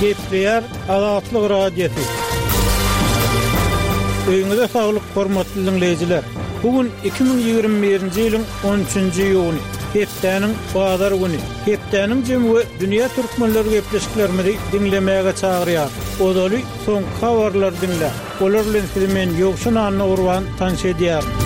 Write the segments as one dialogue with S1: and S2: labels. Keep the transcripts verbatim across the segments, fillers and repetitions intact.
S1: Gepleýär Azatlyk Radiosy. Öýüňize saglyk, hormatly diňleýjiler. Bu gün iki müň ýigrimi birinji ýylyň on üçünji iýuny, hepdäniň bazar güni. Hepdäniň jemi we dünýä türkmenleri gepleşiklerimizi diňlemäge çagyrýar. Ozaly soňky habarlary diňläň. Olar bilen sizi men Ýowşan Annagurban tanyş edýärin.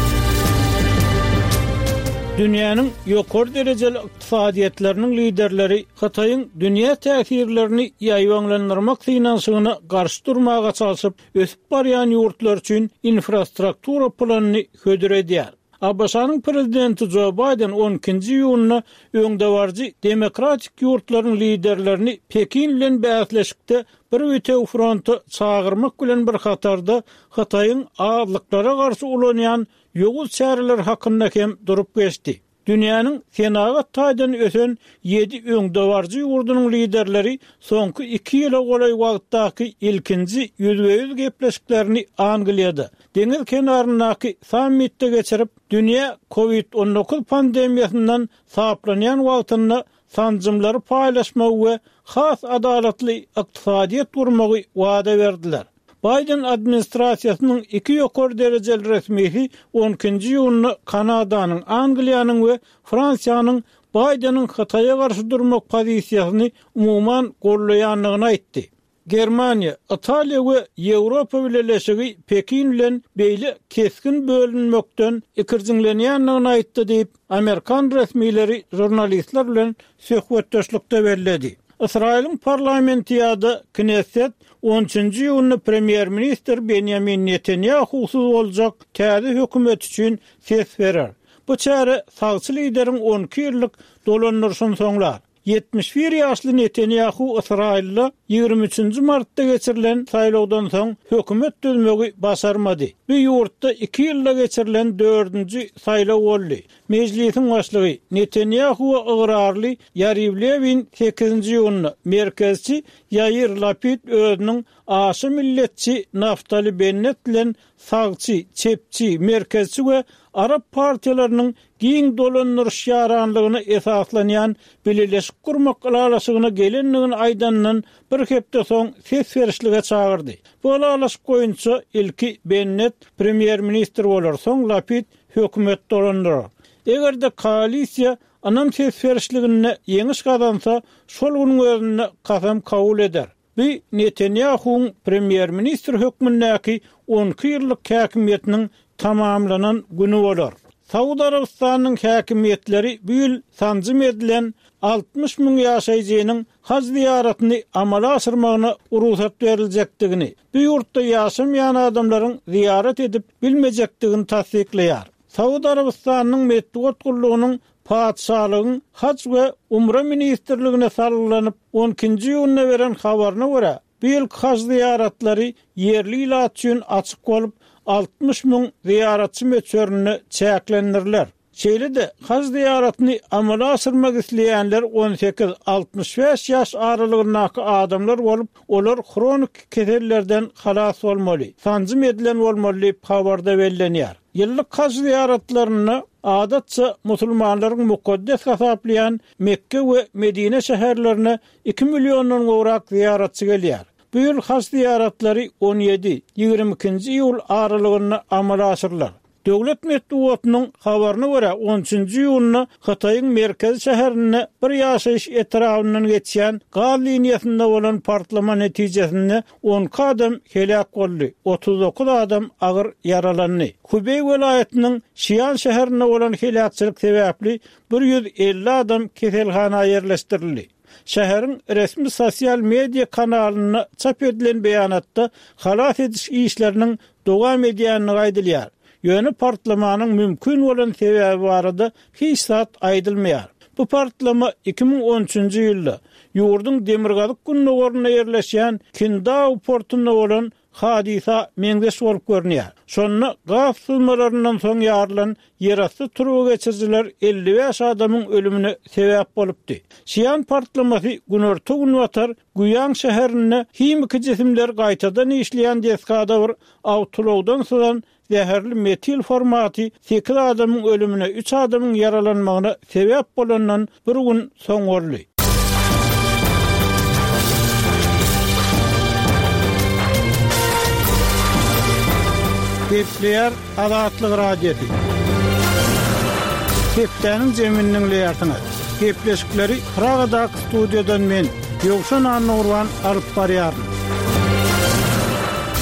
S1: Dünýäniň ýokary derejeli ykdysadyýetleriniň liderleri Hytaýyň dünýä täsirlerini ýaýbaňlandyrmak synanyşygyna garşy durmaga çalşyp, ösüp barýan ýurtlar üçin infrastruktura planyny hödür edýär. A B Ş-nyň prezidenti Joe Biden on ikinji iýunda öňdebaryjy demokratik ýurtlaryň liderlerini Pekin bilen bäsleşikde bir bütew fronta çagyrmak bilen bir hatarda Hytaýyň azlyklara garşy ulanýan ýowuz çäreler hakynda hem durup geçdi. Dünýäniň senagat taýdan ösen ýedi öňdebaryjy ýurdunyň liderleri soňky iki ýyla golaý wagtdaky ilkinji ýüzbe-ýüz gepleşiklerini Angliýada, deňiz kenaryndaky sammitde geçirip, dünýä kovid on dokuz pandemiýasyndan saplanýan wagtynda sanjymlary paýlaşmagy we has adalatly ykdysadyýet gurmagy wada berdiler. Biden administrasiýasynyň iki ýokary derejeli resmisi on ikinji iýunda Kanadanyň, Angliýanyň we Fransiýanyň Bideniň Hytaýa garşy durmak pozisiýasyny umuman gollaýandygyny aýtdy. Germaniýa, Italiýa we Ýewropa Bileleşigi Pekin bilen beýle kesgin bölünmekden ikirjiňlenýändigini aýtdy diýip, Amerikan resmileri jurnalistler bilen söhbetdeşlikde belledi. Ysraýylyň parlamenti ýa-da Knesset on üçünji iýunda premýer-ministr Benjamin Netanyahu'syz boljak täze hökümet üçin ses berer. Bu çäre sagçy lideriň on iki ýyllyk dolandyryşyny soňlar. Ýetmiş bir ýaşly Netanyahu Ysraýylda ýigrimi üçünji martda geçirilen saýlawdan soň hökümet düzmegi başarmady. Bu ýurtda iki ýylda geçirilen dördünji saýlaw boldy. Mejlisiň başlygy Netanyahu'a ygrarly Ýariw Lewin sekizinji iýunda merkezçi Ýair Lapid özüniň aşa milletçi Naftali Bennet bilen sagçy, çepçi, merkezçi we Arap partiýalarynyň giň dolandyryş ýaranlygyna esaslanýan bileleşik gurmak ylalaşygyna gelendigini aýdandan bir hepde soň ses berişlige çagyrdy. Bu ylalaşyk boýunça ilki Bennet premýer-ministr bolar, soň Lapid hökümet dolandyrar. Eger-de koalisiýa ynam ses berişliginde ýeňiş gazansa, şol günüň özünde kasam kabul eder. Bu Netanyahu'ň premýer-ministr hökmündäki on iki ýyllyk häkimiýetiniň tamamlanan günü bolar. Saud Arabystanyň häkimiýetleri bu ýyl sanjym edilen altmyş müň ýaşaýjynyň haj ziýaratyny amala aşyrmagyna rugsat beriljekdigini, bu ýurtda ýaşamaýan adamlaryň ziýarat edip bilmejekdigini tassyklaýar. Saud Arabystanyň metbugat gullugynyň Patyşalygyň Haj we Umra ministrligine salgylanyp on ikinji iýunda beren habaryna görä, bu ýylky haj ziýaratlary ýerli ilat üçin açyk bolup, altmyş müň ziýaratçy möçberinde çäklendiriler. Şeýle-de haj ziýaratyny amala aşyrmak isleýänler on sekiz altmyş bäş ýaş aralygyndaky adamlar bolup, olar hronik kesellerden halas bolmaly, sanjym edilen bolmaly diýip habarda bellenýär. Ýyllyk haj ziýaratlarynda adatça musulmanlaryň mukaddes hasaplaýan Mekke we Medine şäherlerine iki milliondan gowrak ziýaratçy gelýär. Bu ýyl haj ziýaratlary on ýedi, ýigrimi ikinji iýul aralygynda amala aşyrylar. Döwlet metbugatynyň habaryna görä on üçünji iýunda Hytaýyň merkezi şäherinde bir ýaşaýyş etrabyndan geçýän gaz liniýasynda bolan partlama netijesinde on iki adam heläk boldy, otuz dokuz adam agyr ýaralandy. Hubeý welaýatynyň Şian şäherinde bolan heläkçilik sebäpli bir ýüz elli adam keselhana ýerleşdirildi. Şäheriň resmi sosial media kanalynda çap edilen beýanatda halas ediş işleriniň dowam edýändigi aýdylýar. Ýöne partlamanyň mümkin bolan sebäbi barada hiç zat aýdylmaýar. Bu partlama iki müň on üçünji ýylda ýurduň demirgazyk gündogarynda ýerleşýän Kindao portunda bolan hadysa meňzeş bolup görünýär. Şonda gaz syzmalaryndan soň ýarylan ýerasty turba geçirijiler elli bäş adamyň ölümine sebäp bolupdy. Şian partlamasy günorta günbatar Guýang şäherinde himiki jisimler gaýtadan işleýän desgada bir awtoulagdan syzan zäherli metil formaty sekiz adamyň ölümine, üç adamyň ýaralanmagyna sebäp bolandan bir gün soň boldy. Gepleýär Azatlyk Radiosy. Hepdäniň jemini diňleýärsiňiz. Gepleşikleri Pragadaky studiýadan men Ýowşan Annagurban alyp barýaryn.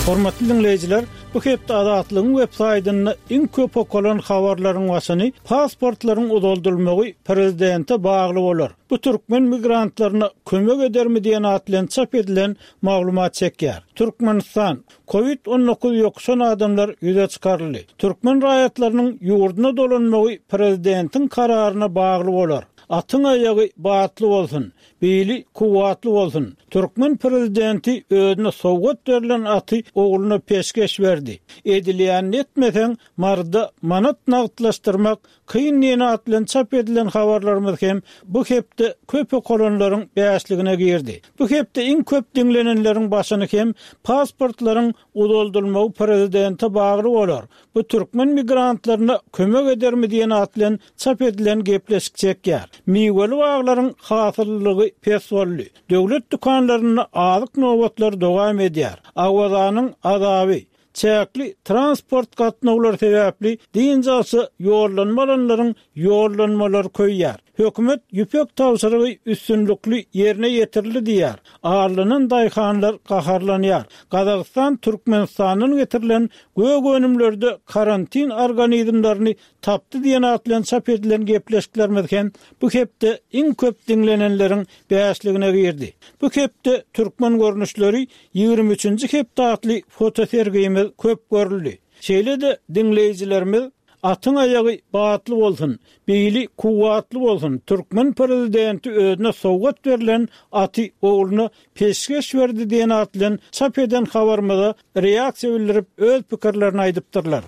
S1: Hormatly dinleýjiler, bu hepde Azatlygyň web saýtynda iň köp okalan habarlaryň başyny pasportlaryň uzaldylmagy prezidente bagly bolar. Bu türkmen migrantlaryna kömek edermi diýen at bilen çap edilen maglumat çekýär. Türkmenistan COVID on dokuz ýokuşan adamlar ýüze çykaryldy. Türkmen raýatlarynyň ýurduna dolanmagy prezidentiň kararyna bagly bolar. Atyň aýagy batly bolsun, bili kuwwatly bolsun. Türkmen prezidenti özüne sowgat berlen aty ogluna peşgeş berdi. Edilýän etmeseň Marda manat nagtlaşdyrmak kyn diýen at bilen çap edilen habarlarymyz hem bu hepde köp okalanlaryň bäşligine girdi. Bu hepde iň köp diňlenenleriň başyny hem pasportlaryň uzaldylmagy prezidente bagly bolar. Bu türkmen migrantlaryna kömek edermi diýen at bilen çap edilen gepleşik çekýär. Miweli baglaryň hasyllygy pes boldy. Döwlet dükanlarynda azyk nobatlar dowam edýär. Awazanyň azaby çäkli transport gatnawlary sebäpli dynç alşa ýollanmalanlaryň ýollanmalary köýýär. Hökümet ýüpek tabşyrygy üstünlikli ýerine ýetirildi diýär. Arlanan daýhanlar gaharlanýar. Gazagystan Türkmenistandan getirilen gök önümlerde karantin organizmlerini tapdy diýen at bilen çap edilen gepleşiklerimiz hem bu hepde iň köp diňlenenleriň bäşligine girdi. Bu hepde türkmen görnüşleri ýigrimi üçünji hepde atly fotosergimiz köp görüldi. Şeýle-de diňleýjilerimiz atyň aýagy batly bolsun, bili kuwwatly bolsun, türkmen prezidenti özüne sowgat berlen aty ogluna peşgeş berdi diýen at bilen çap eden habarymyza reaksiýa bildirip öz pikirlerini aýdypdyrlar.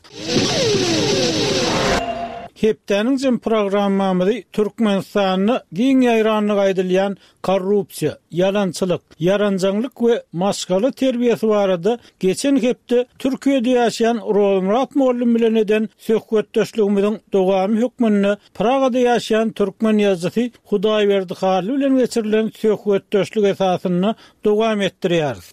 S1: Hepdäniň jem programmamyzy Türkmenistanda giň ýaýranlyk aýdylýan korrupsiýa, ýalançylyk, ýaranjaňlyk we maşgala terbiýesi barada geçen hepde Türkiýede ýaşaýan Rozmyrat mollum bilen eden söhbetdeşligimiziň dowamy hökmünde Pragada ýaşaýan türkmen ýazyjysy Hudaýberdi Hally bilen geçirilen söhbetdeşlik esasynda dowam etdirýäris.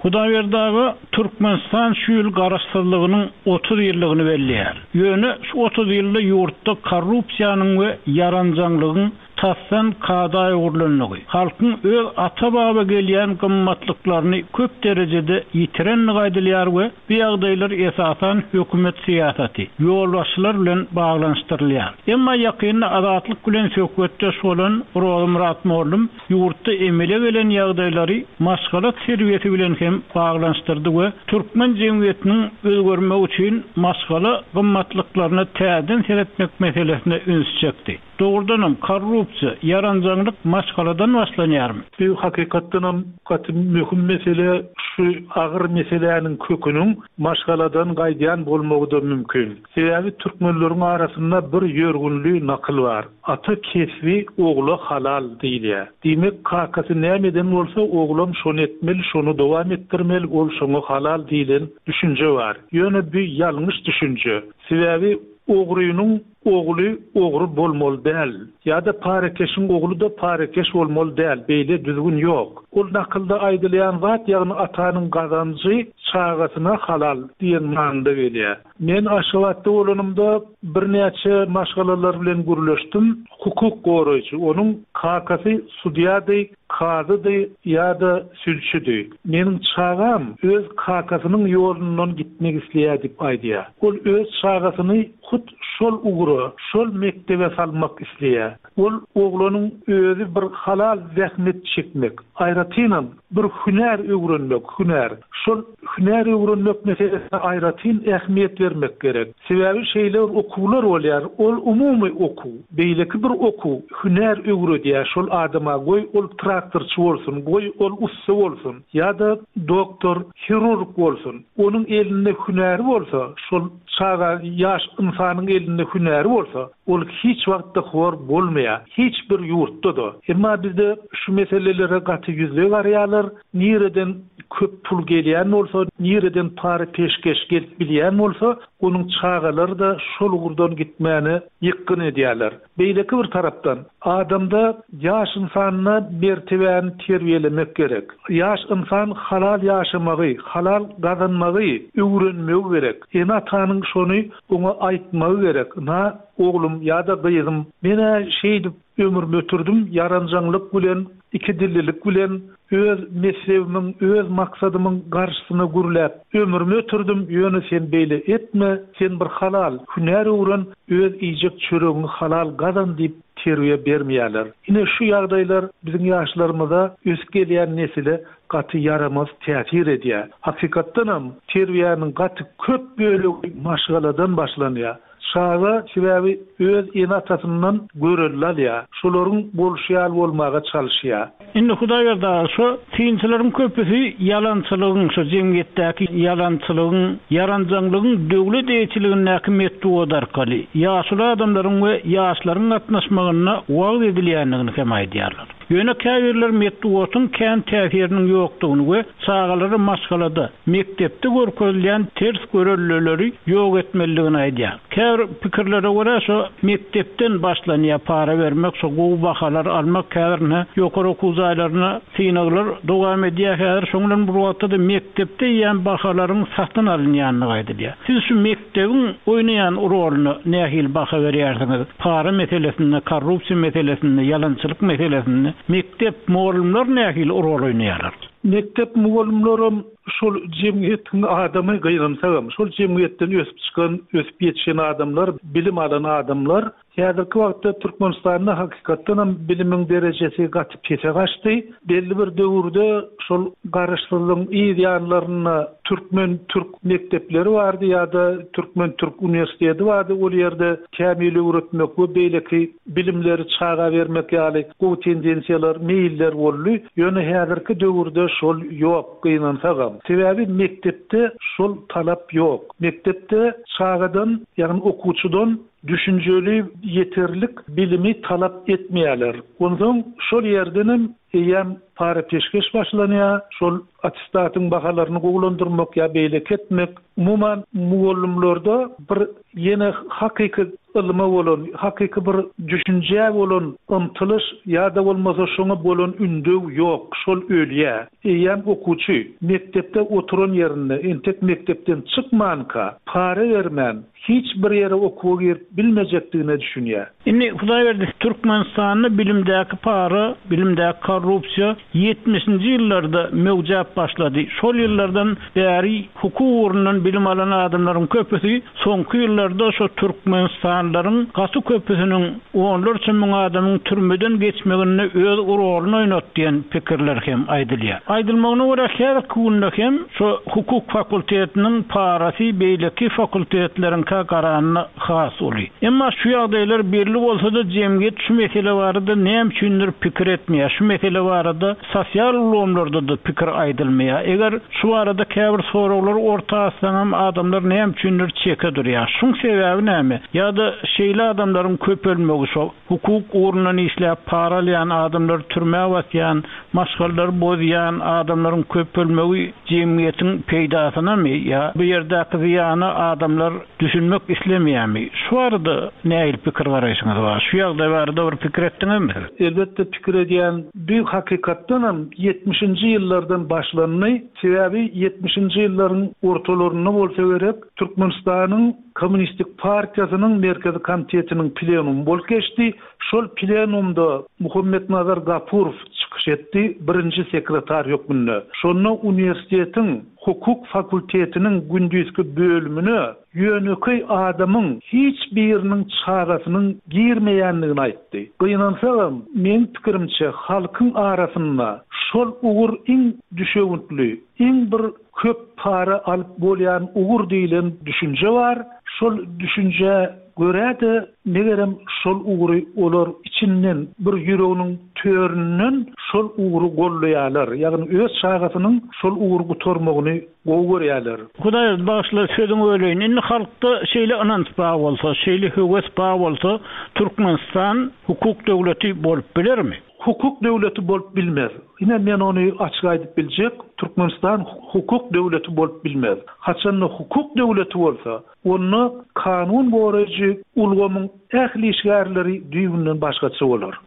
S1: Hudaýberdi aga, Türkmenistan şu ýyl garaşsyzlygynyň otuz ýyllygyny belleýär. Ýöne şu otuz ýylda ýurtda korrupsiýanyň we ýaranjaňlygyň tasdan kada öwrülenligi, halkyň öz ata-baba gelýän gymmatlyklaryny köp derejede ýitirenligi aýdylýar we bu ýagdaýlar esasan hökümet syýasaty, ýolbaşçylar bilen baglanyşdyrylýar. Emma ýakynda Azatlyk bilen söhbetdeş bolan Rozmyrat mollum ýurtda emele gelen ýagdaýlary maşgala terbiýesi bilen hem baglanyşdyrdy we türkmen jemgyýetiniň özgermegi üçin maşgala gymmatlyklaryna täzeden seretmek meselesine üns çekdi. Doğrudanam korrupsiýa, ýaranjaňlyk maşgaladan başlanýarmy?
S2: Bu hakykatdanam gaty möhüm mesele, şu agyr meseläniň köküniň maşgaladan gaýdýan bolmagy da mümkin. Sebäbi türkmenleriň arasynda bir ýörgünli nakyl bar. Ata kesbi ogla halal diýilýär. Diýmek, kakasy näme eden bolsa, oglam şony etmeli, şony dowam etdirmeli, ol şoňa halal diýilen düşünje bar. Ýöne bu ýalňyş düşünje. Sebäbi ogrynyň ogly ogry bolmaly däl. Ýa-da parekeşiň ogly da parekeş bolmaly däl. Beýle düzgün ýok. Ol nakylda aýdylýan zat, ýagny atanyň gazanjy çagasyna halal diýen manyda gelýär. Men Aşgabatda bolanymda birnäçe maşgalalar bilen gürleşdim. Hukuk goraýjy, onuň kakasy sudýady, kazydy ýa-da sülçüdi. Meniň çagam öz kakasynyň ýolundan gitmek isleýär diýip aýdýar. Ol öz çagasyny hut şol ugra, şol mektebe salmak isleýär. Ol oglanyň özi bir halal zähmet çekmek, aýratynam bir hünär öwrenmek, hünär. Şol hünär öwrenmek meselesine aýratyn ähmiýet bermek gerek. Sebäbi şeýle bir okuwlar bolýar, ol umumy okuw, beýleki bir okuw hünär öwredýär şol adama, goý ol traktorçy bolsun, goý ol ussa bolsun ýa-da doktor, hirurg bolsun. Onuň elinde hünäri bolsa, şol çaga ýaş insanyň elinde hünäri bolsa, ol hiç wagtda hor bolmaýar. Hiç bir ýurtda da. Emma bizde şu meselelere gaty ýüzle garýarlar. Nireden köp pul gelýän bolsa, nireden para-peşgeş gelip bilýän bolsa, onuň çagalary-da şol ugurdan gitmäne ýykgyn edýärler. Beýleki bir tarapdan, adamda ýaş ynsanda mertebäni terbiýelemek gerek. Ýaş ynsan halal ýaşamagy, halal gazanmagy öwrenmegi gerek. Ene-atanyň şony oňa aýtmagy gerek. Na oglum ýa-da gyzym, men-ä şeýdip ömrümi ötürdim, ýaranjaňlyk bilen, iki dillilik bilen, öz mezhebimiň, öz maksadymyň garşysyna gürläp ömrümi ötürdim, ýöne sen beýle etme, sen bir halal hünär öwren, öz iýjek çöregiňi halal gazan diýip terbiýe bermeýärler. Ine şu ýagdaýlar biziň ýaşlarymyza, ösüp gelýän nesile gaty ýaramaz täsir edýär. Hakykatdanam terbiýäniň gaty köp bölegi maşgaladan başlanýar. Çaga sebäbi öz ene-atasyndan görelde alýar. Şolaryň bolşy ýaly bolmaga çalyşýar.
S1: Indi Hudaýberdi aga, şu synçylaryň köpüsi ýalançylygyň, şu jemgyýetdäki ýalançylygyň, ýaranjaňlygyň döwlet eýeçiligindäki metbugat arkaly ýaşuly adamlaryň we ýaşlaryň gatnaşmagynda wagyz edilýändigini hem aýdýarlar. Ýöne käbirler metbugatyň kän täsiriniň ýokdugyny we çagalary maşgalada, mekdepde görkezilýän ters görelleleri ýok etmelidigini aýdýar. Käbir pikirlere görä şu mekdepden başlanýar para bermek, şu gowy bahalar almak käbirine ýokary okuw jaýlaryna synaglar dowam edýär. Häzir şoň bilen bir wagtda-da mekdepde iýen bahalaryň satyn alynýandygy aýdylýar. Siz şu mekdebiň oýnaýan roluna nähili baha berýärsiňiz? Para meselesinde, korrupsiýa meselesinde, ýalançylyk meselesinde mekdep mugallymlar nähili rol oýnaýarlar?
S2: Mekdep mugallymlaram şol jemgyýetiň adamy gynansagam, şol jemgyýetden ösüp çykan, ösüp ýetişen adamlar, bilim alan adamlar häzirki wagtda Türkmenistanda hakykatdanam bilimiň derejesi gaty pese gaçdy. Belli bir döwürde şol garaşsyzlygyň yz ýanlarynda türkmen-türk mekdepleri bardy ýa-da türkmen-türk uniwersiteti bardy. Ol ýerde kämil öwretmek we beýleki bilimleri çaga bermek ýaly gowy tendensiýalar, meýiller boldy. Ýöne häzirki döwürde şol ýok, gynansagam. Sebäbi mekdepde şol talap ýok. Mekdepde çagadan, ýagny okuwçydan düşünjeli ýeterlik bilimi talap etmeýärler. Ondan şol ýerdenem eýem para peşgeş başlanýar, şol attestatyň bahalaryny gowulandyrmak ýa beýleki etmek. Umuman mugallymlarda bir ýene hakyky ylma bolan, hakyky bir düşünje bolan ymtylyş ýa-da bolmasa şoňa bolan ündew ýok, şol ölýär. Eýem okuwçy mekdepde oturan ýerinde, entek mekdepden çykmanka para bermän hiç bir ýere okuwa girip bilmejekdigine düşünýär.
S1: Indi Hudaýberdi, Türkmenistanda bilimdäki para, bilimdäki korrupsiýa ýetmişinji ýyllarda möwjäp başlady. Şol ýyllardan bäri hukuk ugrundan bilim alan adamlaryň köpüsi soňky ýyllarda şo Türkmenistanlaryň gaty köpüsiniň onlarça müň adamyň türmeden geçmeginde öz roluny oýnat diýen pikirler hem aýdylýar. Aýdylmagyna görä her günde hem şo hukuk fakultetiniň parasy beýleki fakultetleriň garanyna has uly. Emma şu ýagdaýlar belli bolsa da jemgyýet şu mesele barada näme üçindir pikir etmeýär. Şu mesele barada sosial ulgamlarda da pikir aýdylmaýar. Eger şu barada käbir soraglar orta atsaňam adamlar näme üçindir çeke durýar. Şuň sebäbi näme? Ýa-da şeýle adamlaryň köpelmegi şo hukuk ugrundan işläp para alýan adamlar türmä basýan, maşgalalary bozýan adamlaryň köpelmegi jemgyýetiň peýdasynamy ýa bu ýerdäki zyýana adamlar düşünmek islemeýärmi? Şu barada nähili pikir garaýşyňyz bar? Şu ýagdaý barada bir pikir etdiňizmi siz?
S2: Elbetde pikir edýän, bu hakykatdanam ýetmişinji ýyllardan başlandy. Sebäbi ýetmişinji ýyllaryň ortalarynda bolsa gerek, Türkmenistanyň Kommunistik Partiýasynyň Merkezi Komitetiniň plenumy bolup geçdi. Şol plenumda Muhammetnazar Gapurow çykyş etdi, birinji sekretar hökmünde. Şonda uniwersitetiň hukuk fakultetiniň gündizki bölümine ýönekeý adamyň hiç biriniň çagasynyň girmeýändigini aýtdy. Gynansagam, meň pikirimçe halkyň arasynda şol ugur iň düşewüntli, iň bir köp para alyp bolýan ugur diýlen düşünje bar. Şol düşünje görä-de megerem şol ugry olar içinden bir ýüreginiň töründen şol ugry gollaýarlar. Ýagny öz çagasynyň şol ugry gutarmagyny gowy görýärler.
S1: Hudaý bagşylar sözüňi öleýin. Indi halkda şeýle ynanç bar bolsa, şeýle höwes bar bolsa, Türkmenistan hukuk döwleti bolup bilermi?
S2: hukuk döwleti bolup bilmez. Ine men ony açyk aýdyp biljek, Türkmenistan hukuk döwleti bolup bilmez. Haçanda hukuk döwleti bolsa, onda kanun goraýjy ulgamyň ähli işgärleri düýbünden başgaça bolar.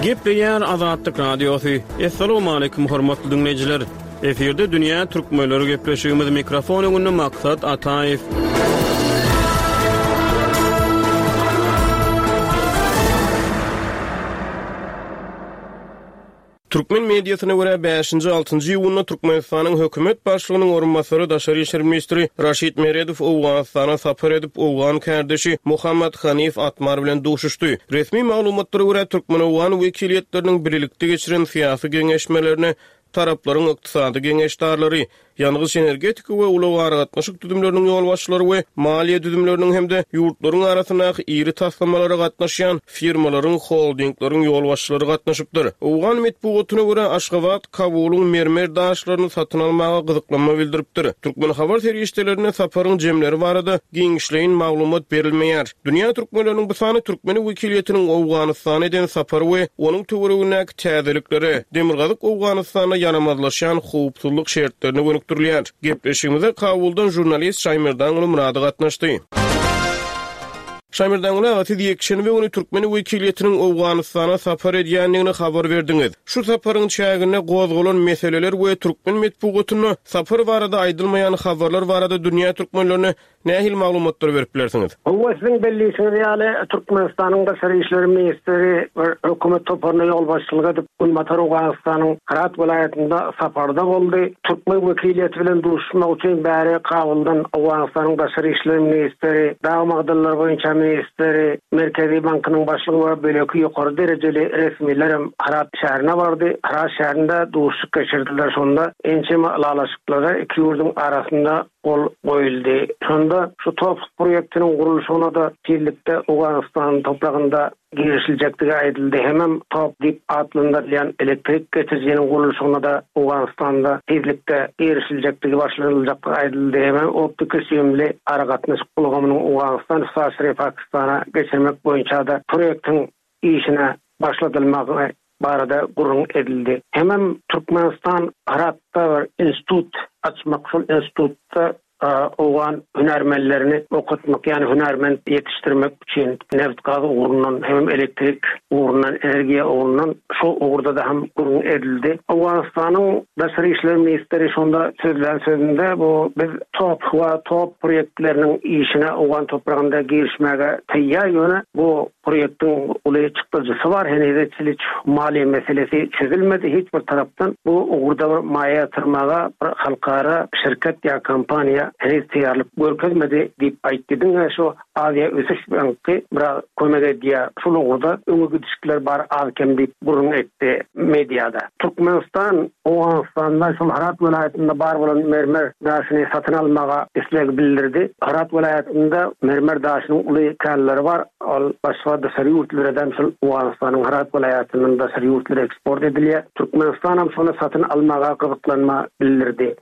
S3: Gepleýär Azatlyk Radiosy. Assalamualaikum hormatly dinleýjiler. Efirde Dünýä Türkmenleri gepleşigimiz mikrofon öňünde Maksat Ataýew. Türkmen mediasyna görä bäşinji altynjy iýunda Türkmenistanyň hökümet başlygynyň orunbasary daşary işler ministri Raşid Meredow Owganystana sapar edip Owgan kardeşi Muhammad Hanif Atmar bilen duşuşdy. Resmi maglumatlara görä Türkmen-Owgan wekiliýetleriniň birlikde geçiren syýasy geňeşmelerine taraplaryň ykdysady geňeşdarlary, ýangyç energetika we ulag aragatnaşyk düzümleriniň ýolbaşçylary we maliýe düzümleriniň hem-de ýurtlaryň arasyndaky iri taslamalara gatnaşýan firmalaryň, holdingleriň ýolbaşçylary gatnaşypdyr. Owgan metbugatyna görä Aşgabat Kabulyň mermer daşlaryny satyn almaga gyzyklanma bildiripdir. Türkmen habar serişdelerine saparyň jemleri barada giňişleýin maglumat berilmeýär. Dünýä türkmenleriniň bu sany Türkmen wekiliýetiniň Owganystana eden sapary we onuň töweregindäki täzeliklere, Demirgazyk Owganystanda ýaramazlaşýan howpsuzlyk şertlerine gönükdirilýär. Gepleşigimize Kabuldan jurnalist Şaýmerdan Murady gatnaşdy. Şaýmerdan aga, siz ýekşenbe güni Türkmen wekiliýetiniň Owganystana sapar edýändigini habar berdiňiz. Şu saparyň çäginde gozgalan meseleler we türkmen metbugatynda sapar barada aýdylmaýan habarlar barada dünýä türkmenlerine nähili maglumatlar berip bilersiňiz?
S4: Hawa, siziň bellisiniz ýaly Türkmenistanyň daşary işler ministri we hökümet toparyna ýolbaşçylyk edip Günbatar Owganystanyň Herat welaýatynda saparda boldy. Türkmen wekiliýeti bilen duşuşmak üçin bäri Kabuldan Owganystanyň daşary işler ministri, dag magdanlary boýunça ministri, Merkezi bankynyň başlygy we beýleki ýokary derejeli resmiler hem Herat şäherine bardy. Herat şäherinde duşuşyk geçirdiler. Şonda ençeme ylalaşyklara iki ýurduň arasynda gol goýuldy. Şonda şu top proýektiniň gurluşygyna da tizlikde Owganystan topragynda girişiljekdigi aýdyldy. Hemem top diýip atlandyrylýan elektrik geçirijiniň gurluşygyna da Owganystanda tizlikde girişiljekdigi başlanyljakdygy aýdyldy. Hemem optiki süýümli aragatnaşyk ulgamynyň Owganystan üstaşyry Pakistana geçirmek boýunça da proýektiň işine başladylmagy barada gürrüň edildi. Hemem Türkmenistan Heratda bir institut açmak, şol institutda Owgan hünärmenlerini okatmak, ýagny hünärmen ýetişdirmek üçin neft gaz ugrundan hem elektrik ugrundan, energiýa ugrundan şu ugurda da hem gürrüň edildi. Owganystanyň daşary işler ministri şonda sözlän sözünde bu biz top we top proýektleriniň işine Owgan topragynda girişmäge taýýar, ýöne bu proýektiň uly çykdajysy bar, henizçe maliýe meselesi çözülmedi hiç bir tarapdan. Bu ugurda bir maýa ýatyrmaga bir halkara şirket ýa kompaniýa henüz taýýarlyk görkezmedi diýip aýtdy. Diňe şu Aziýa Ösüş Banky biraz kömek edýär. Şul ugurda öňe gidişikler bar az kem diýip gürrüň etdi mediada. Türkmenistan Owganystanda şol Herat welaýatynda bar bolan mermer daşyny satyn almaga isleg bildirdi. Herat welaýatynda mermer daşynyň uly känleri bar. Ol başga daşary ýurtlardan şol Owganystanyň Herat welaýatyndan daşary ýurtlara eksport edilýär. Türkmenistan hem şony satyn almaga gyzyklanma bildirdi.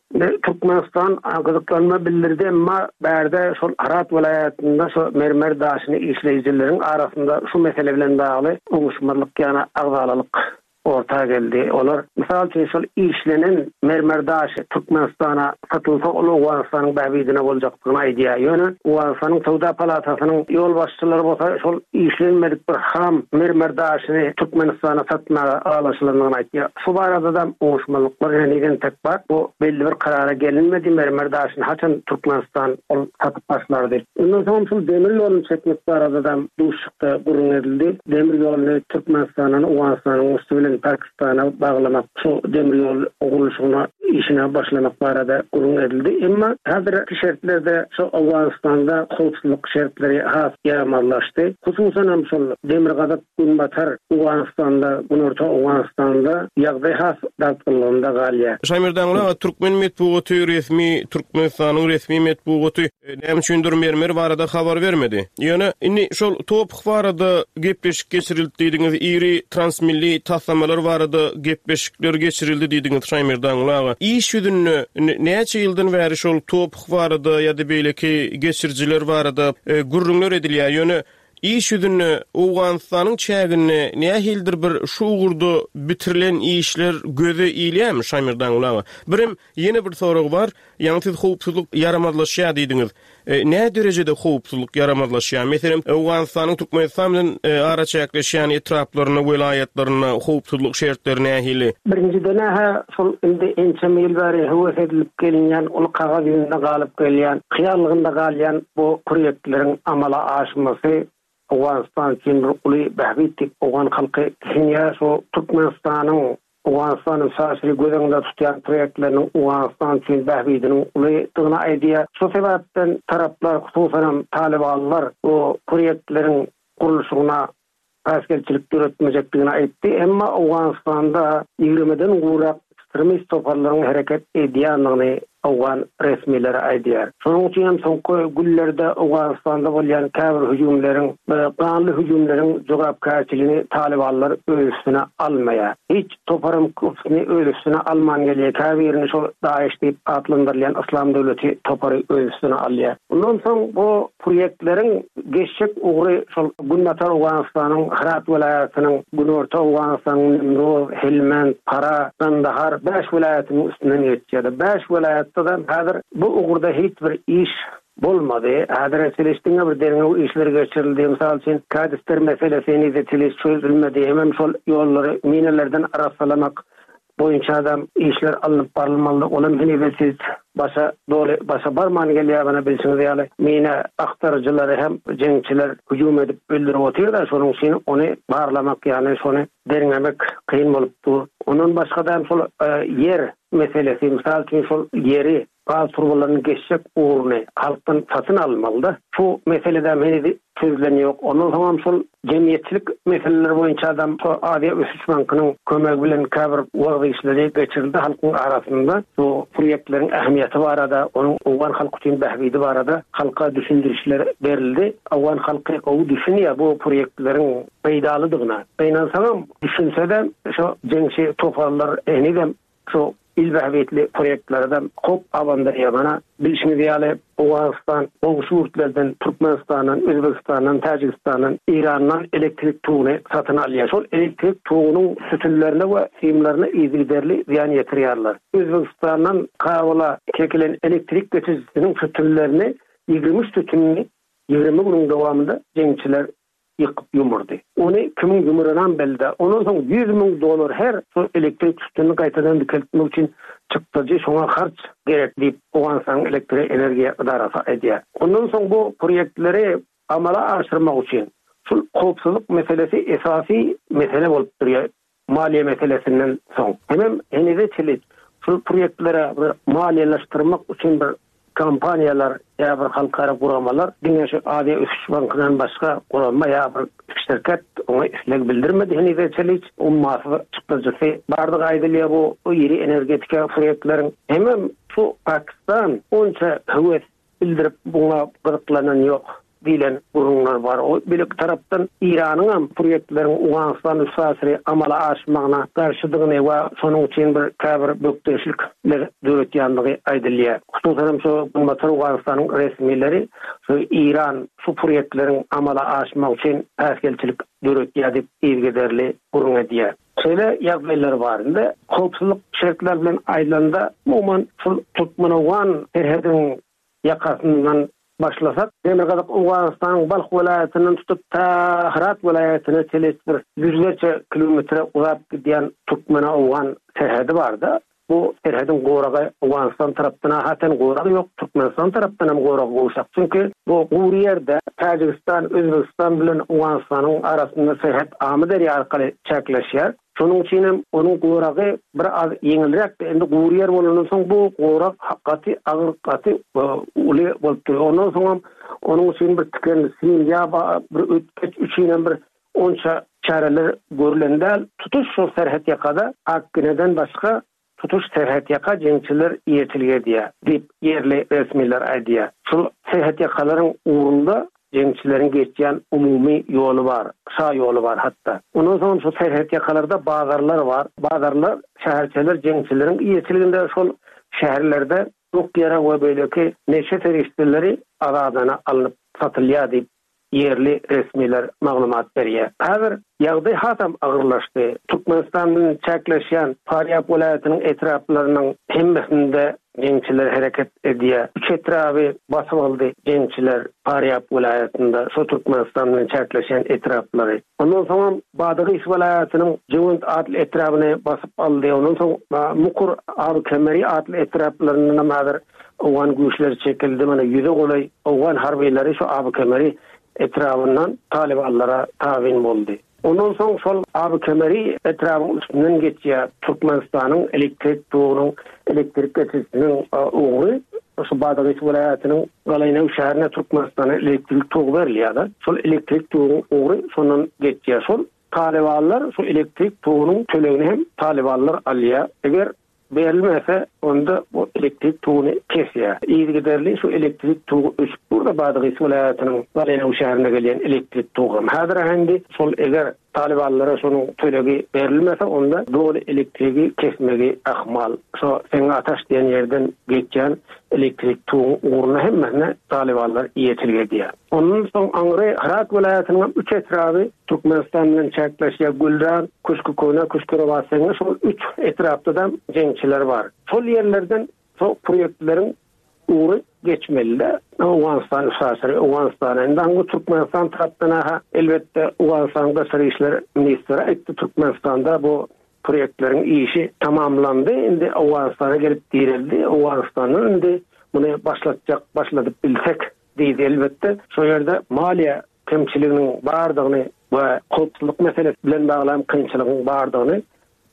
S4: Türkmenistan gyzyklanma bildirdi, emma bärde şol Herat welaýatynda şu mermer daşyny işleýjileriň arasynda şu mesele bilen bagly oňuşmazlyk, ýagny agzalalyk orta geldi. Olar mysal üçin şol işlenen mermer daşy Türkmenistana satylsa ol Owganystanyň bähbidine boljakdygyny aýdýar. Ýöne Owganystanyň Söwda palatasynyň ýolbaşçylary bolsa şol işlenmedik bir ham mermer daşyny Türkmenistana satmaga ylalaşylandygyny aýtýar. Şu barada da oňuşmazlyklar henizem tek bar. Bu belli bir karara gelinmedi. Mermer daşyny haçan Türkmenistan ol satyp başlar diýip. Ondan soň şol demir ýoluny çekmek barada da duşuşykda gürrüň edildi. Demir ýoluny Türkmenistandan Owganystanyň üsti bilen Pakistana baglamak, şu demir ýol gurluşygyna işine başlamak barada gürrüň edildi. Emma häzirki şertlerde şu Owganystanda howpsuzlyk şertleri has ýaramazlaşdy. Hususan hem şol demirgazyk Günbatar Owganystanda, Günorta Owganystanda ýagdaý has dartgynlygynda galýar.
S3: Şaýmerdan aga, türkmen metbugaty resmi Türkmenistanyň resmi metbugaty näme üçindir mermer barada habar bermedi. Ýöne indi şol top barada gepleşik geçirildi diýdiňiz, iri transmilli taslamalar barada gepleşikler geçirildi diýdiňiz Şaýmerdan aga. aga. Iş ýüzünde näçe ýyldan bäri şol top barada ýa-da beýleki geçirijiler barada e, gürrüňler edilýär. Ýöne iş ýüzünde Owganystanyň çäginde nähildir bir şu ugurda bitirilen işler göze ilýärmi Şaýmerdan aga? Birem ýene bir sorag bar. Ýaňy siz howpsuzlyk ýaramazlaşýar diýdiňiz. E, ne derejede howpsuzlyk ýaramazlaşýar? Meselem, Owganystanyň Türkmenistan bilen e, araçäkleşýän etraplarynda, welaýatlarynda howpsuzlyk şertleri nähili?
S4: Birinjiden ha şol indi ençeme ýyl bäri höwes edilip gelinýän, ol kagyz ýüzünde galyp gelýän, hyýallygynda galýan bu proýektleriň amala aşmasy Owganystan üçin bir uly bähbit diýip Owgan halky düşünýär. Şu Türkmenistanyň Owganystanyň şaşyry göz öňünde tutýan proýektleriniň Owganystan üçin bähbidiniň ulydygyny aýdýar. Şu sebäpden taraplar, hususanam Talibanlar bu proýektleriň gurluşygyna päsgelçilik döretmejekdigini aýtdy. Emma Owganystanda ýigrimiden gowrak ekstremist toparlaryň hereket edýändigini Owgan resmileri aýdýar. Şonuň üçin hem soňky günlerde Owganystanda bolýan käbir hüjümleriň, ganly hüjümleriň jogapkärçiligini Talibanlar öz üstüne almaýar. Hiç toparyň köpüsini öz üstüne alman gelýär. Käbirini şol DAEŞ diýip atlandyrylýan Islam döwleti topary öz üstüne alýar. Ondan soň bu proýektleriň geçjek ugry şol Günbatar Owganystanyň Herat welaýatynyň, Günorta Owganystanyň Nimroz, Helmand, Para, Kandahar bäş welaýatynyň üstünden geçýär. Bäş welaýatda da häzir bu ugurda hiç bir iş bolmady. Häzir çelişdiňe bir derňew işleri geçirildi. Mysal üçin kadastr meselesi henizde çeliş çözülmedi. Hemem şol ýollary minelerden arassalamak boýunça adam işler alnyp barylmaly. Olam henizde siz başa doly başa barman gelýär bana bilşiňiz ýaly. Mine aktaryjylary hem jeňçiler hüjüm edip öldürip otyrlar. Şonuň üçin ony barlamak, ýagny şony derňemek kyn bolup dur. Ondan başga da şol e, ýer meselesi, mysal üçin şol ýeri gaz turbalaryny geçjek ugruny halkdan satyn almaly-da. Şu meselede heniz çözülen ýok. Ondan soň hem şol jemgyýetçilik meseleleri boýunça adam şu Aziýa Ösüş Bankynyň kömegi bilen käbir wagyz işleri geçirildi halkyň arasynda. Bu proýektleriň ähmiýeti barada, onuň Owgan halky üçin bähbidi barada halka düşündirişler berildi. Owgan halky gowy düşünýär bu proýektleriň peýdalydygyna. Gynansaňam düşünse de şu jeňçi toparlar henizem şu il bähbitli proýektlere de hop abandyrýar. Mana bilşiňiz ýaly Owganystan goňşy ýurtlardan, Türkmenistandan, Özbekistandan, Täjigistandan, Irandan elektrik toguny satyn alýar. Şol elektrik togunyň sütünlerine we simlerine yzygiderli zyýan ýetirýärler. Özbekistandan Kabula çekilen elektrik geçirijisiniň sütünlerini ýigrimi üç sütünini ýigrimi günüň dowamynda jeňçiler ýykyp ýumurdy. Ony kimiň ýumuranam belli. Ondan soň ýüz müň dollar her şol elektrik sütünini gaýtadan dikeltmek üçin çykdajy şoňa harç gerek diýip Owganystanyň elektrik energiýa edarasy aýdýar. Ondan soň bu proýektleri amala aşyrmak üçin şol howpsuzlyk meselesi esasy mesele bolup durýar maliýe meselesinden soň. Hemem henize çenli şol proýektlere bir maliýeleşdirmek üçin bir kompaniýalar ýa bir halkara guramalar diňe şu Aziýa Ösüş Bankyndan başga gurama ýa bir şirket oňa isleg bildirmedi henize çenli. Ummasyz çykdajysy bardygy aýdylýar bu iri energetika proýektleriň. Hemem şu Pakistan onça höwes bildirip buňa gyzyklanan ýok diýlen gurumlar bar. O birlik tarapdan Iranyň hem proýektleriň Owganystan üstaşyry amala aşmagyna garşydygyny we şonuň üçin bir käbir bökdençlikler döretýänligi aýdylýar. Hususan hem şu Günbatar Owganystanyň resmileri şu Iran şu proýektleriň amala aşmagy üçin päsgelçilik döretýär diýip yzygiderli gürrüň edýär. Şeýle ýagdaýlar barynda howpsuzlyk şertleri bilen aýdylanda umuman şul Türkmen-Owgan serhediniň ýakasyndan başlasak, Demirgazyk Owganystanyň Balh welaýatyndan tutup ta Herat welaýatyna çenli bir ýüzlerçe kilometre uzap gidýän Türkmen-Owgan serhedi barda. Bu serhediň goragy Owganystan tarapdan haten goragy ýok, Türkmenistan tarapdan hem goragy gowşak. Çünki bu gury ýerde Täjigistan, Özbegistan bilen Owganystanyň arasynda serhet Amyderýa arkaly çäkleşýär. Şonuň üçin hem onuň goragy bir az ýeňilräk, endi gury ýer bolandan soň bu gorag gaty agyr, gaty, e, uly bolup durýar. Ondan soň hem onuň üçin bir tiken sim ýa bir ötkeç üçin hem bir onça çäreler görülen däl. Tutuş şol serhet ýakada Akgineden başga tutuş serhet ýaka jeňçiler eýeçilik edýär diýip ýerli resmiler aýdýar. Şol serhet ýakalaryň ugrunda Jeňçileriň geçýän umumy ýoly bar, şa ýoly bar hatda. Ondan soň şu serhet ýakalarda bazarlar bar. Bazarlar, şäherçeler jeňçileriň eýeçiliginde şol şäherlerde ok-ýarag we beýleki neşe serişdeleri azadana alnyp satylýar diýip, ýerli resmiler maglumat berýär. Häzir ýagdaý hasam agyrlaşdy. Türkmenistan bilen çäkleşýän Farýab welaýatynyň etraplarynyň hemmesinde jeňçiler hereket edýär. Üç etraby basyp aldy jeňçiler Farýab welaýatynda, şo Türkmenistan bilen çäkleşýän etraplary. Ondan soňam Badagys welaýatynyň Jewent atly etrabyny basyp aldy. Ondan soň Mukur, Abykemeri atly etraplaryndanam häzir owgan güýçleri çekildi. Mana ýüze golaý owgan harbylary şu Abykemeri etrabyndan talybanlara tabyn boldy. Ondan soň şol Abykemeri etrabyň üstünden geçýär Türkmenistanyň elektrik togunyň, elektrik geçirijisiniň ugry. Şu Badagys welaýatynyň Galaýnaw şäherine Türkmenistana elektrik togy berilýär. Şol elektrik toguň ugry şondan geçýär. Şol talybanlar şu elektrik togunyň tölegini hem talybanlar alýar. Eger berilmese, onda bu elektrik toguny kesýär. Yzygiderli şu elektrik togy öçüp durdy Badagys welaýatynyň Galaýnaw şäherine gelýän elektrik togy. Häzir indi şol eger talybanlara şonuň tölegi berilmese, onda doly elektrigi kesmegi ahmal. Şo Seňňataş diýen ýerden geçýän elektrik toguň ugruna hemmesine talybanlar eýeçilik edýär. Ondan soň aňry Hyrat welaýatynyň üç etraby Türkmenistan bilen çäkleşýär. Gülran, Küşkükona, Küşkürabat Seňňe şol üç etrapda da jeňçiler bar. Şol ýerlerden şol proýektleriň ugry geçmeli. Owganystan üstaşyry Owganystana. Indi aňry Türkmenistan tarapdan aha elbetde Owganystan Daşary işler ministri aýtdy, Türkmenistanda bu proýektleriň işi tamamlandy. Indi Owganystana gelip direldi. Owganystandan indi muny başlatjak, başladyp bilsek diýdi elbetde. Şo ýerde maliýe kemçiliginiň bardygyny we howpsuzlyk meselesi bilen bagly kynçylygyň bardygyny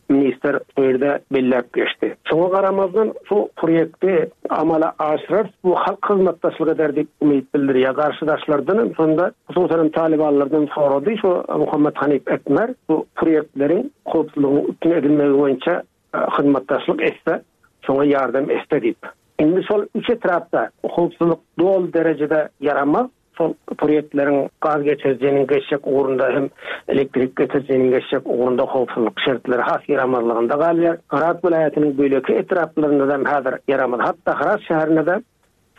S4: ministr bu ýerde belläp geçdi. Şoňa garamazdan şu proýekti amala aşyrar, bu halk hyzmatdaşlyk eder diýip umyt bildirýär. Garşydaşlardan hem şonda hususan talybanlardan sorady şu Muhammet Hanif Etmer bu proýektleriň howpsuzlygyň üpjün edilmegi boýunça hyzmatdaşlyk etse, şoňa ýardam etse diýip. Indi şol üç etrapda howpsuzlyk doly derejede ýaramaz. Şol proýektleriň gaz geçirijiniň geçjek ugrunda hem elektrik geçirijiniň geçjek ugrunda howpsuzlyk şertleri has ýaramazlygynda galýar. Hyrat welaýatynyň beýleki etraplarynda hem häzir ýaramaz. Hatda Hyrat şäherinde de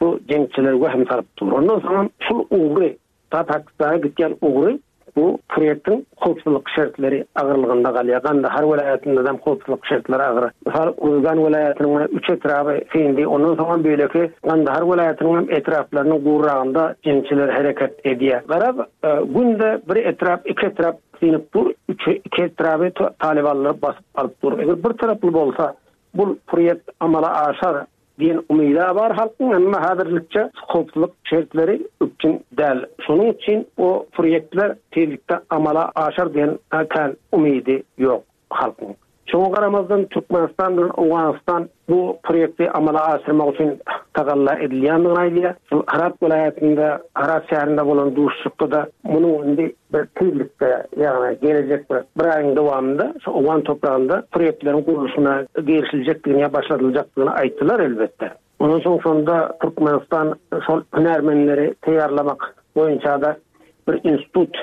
S4: bu jeňçiler wehim salyp dur. Ondan soň şol ugry, ta Pakistana gitýän ugry bu proýektiň howpsuzlyk şertleri agyrlygynda galýar. Gandahar welaýatynda hem howpsuzlyk şertleri agyr. Mysal, Uruzgan welaýatynyň üç etraby syndy. Ondan soň beýleki Gandahar welaýatynyň hem etraplarynyň gurragynda jeňçiler hereket edýär. Garap, günde bir etrap, iki etrap synyp dur, üç, iki etraby talybanlar basyp alyp dur. Eger bir taraply bolsa, bu proýekt amala aşar diýen umyda bar halkyň, emma häzirlikçe howpsuzlyk şertleri üpjün däl. Şonuň üçin o proýektler tizlikde amala aşar diýen kän umydy ýok halkyň. Şoňa garamazdan Türkmenistan bilen Owganystan bu proýekti amala aşyrmak üçin tagalla edilýändigini aýdýar. Şol Hyrat welaýatynda, Hyrat şäherinde bolan duşuşykda da munuň indi bir tizlikde, ýagny gelejek bir, bir aýyň dowamynda şu Owgan topragynda proýektleriň gurluşyna girişiljekdigini ýa başladyljakdygyny aýtdylar elbetde. Ondan soň şonda Türkmenistan şol hünärmenleri taýýarlamak boýunça da bir institut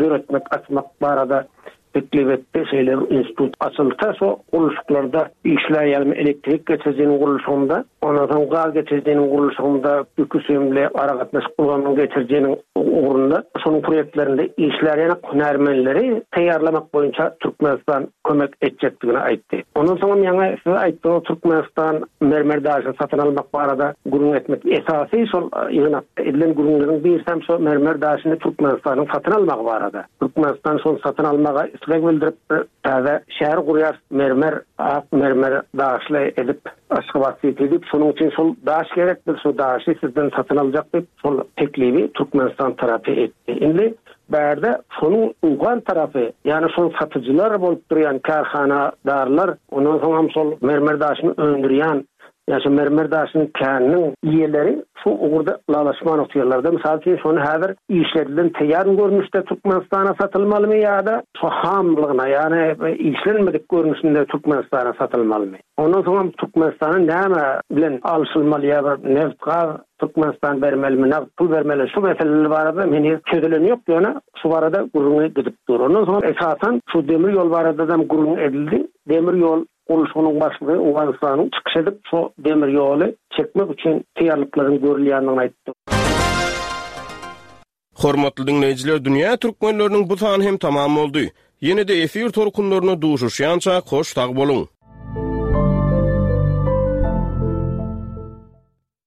S4: döretmek, açmak barada teklip etdi. Şeýle bir institut açylsa, şo gurluşyklarda işleýän elektrik geçirijiniň gurluşygynda, ondan soň gaz geçirijiniň gurluşygynda, ýüküsümli aragatnaşyk ulgamynyň geçirijiniň ugrunda şonuň proýektlerinde işleýän hünärmenleri taýýarlamak boýunça Türkmenistan kömek etjekdigini aýtdy. Ondan soň ýaňy siz aýtdyňyz, Türkmenistan mermer daşyny satyn almak barada gürrüň etmek esasy şol ýygnakda edilen gürrüňleriň birisi hem şo mermer daşyny Türkmenistanyň satyn almagy barada. Türkmenistan şol satyn almaga isleg bildirip täze şäher gurýar, mermer, ak mermer daşly edip Aşgabat City diýip, şonuň üçin şol daş gerek, biz şu daşy sizden satyn aljak diýip, şol teklibi Türkmenistan tarapy etdi. Indi bärde şonuň owgan tarapy, ýagny şol satyjylar bolup durýan kärhanadarlar, ondan soň hem şol mermer daşyny öndürýän Ýa şu mermer daşynyň käniniň iýeleri şu ugurda ylalaşman otyrlar-da. Mysal üçin, şony häzir işledilen taýýar görnüşde Türkmenistana satylmalymy ýa-da şu hamlygyna, ýagny işlenmedik görnüşinde Türkmenistana satylmalymy? Ondan soňam Türkmenistana näme bilen alşylmaly ýa bir neft-gaz Türkmenistan bermelimi, nagt pul bermeli, şu meseleler barada heniz çözülen ýok, ýöne şu barada gürrüňi gidip dur. Ondan soň esasan şu demir ýol baradadam gürrüň edildi. Demir ýol gurluşygynyň başlygy Owganystanyň çykyş edip, şu demir ýoly çekmek üçin taýýarlyklaryň görülýändigini aýtdy.
S3: Hormatly diňleýjiler, Dünýä türkmenleriniň bu sany hem tamam boldy. Ýene-de efir tolkunlarynda duşuşýança hoş sag boluň!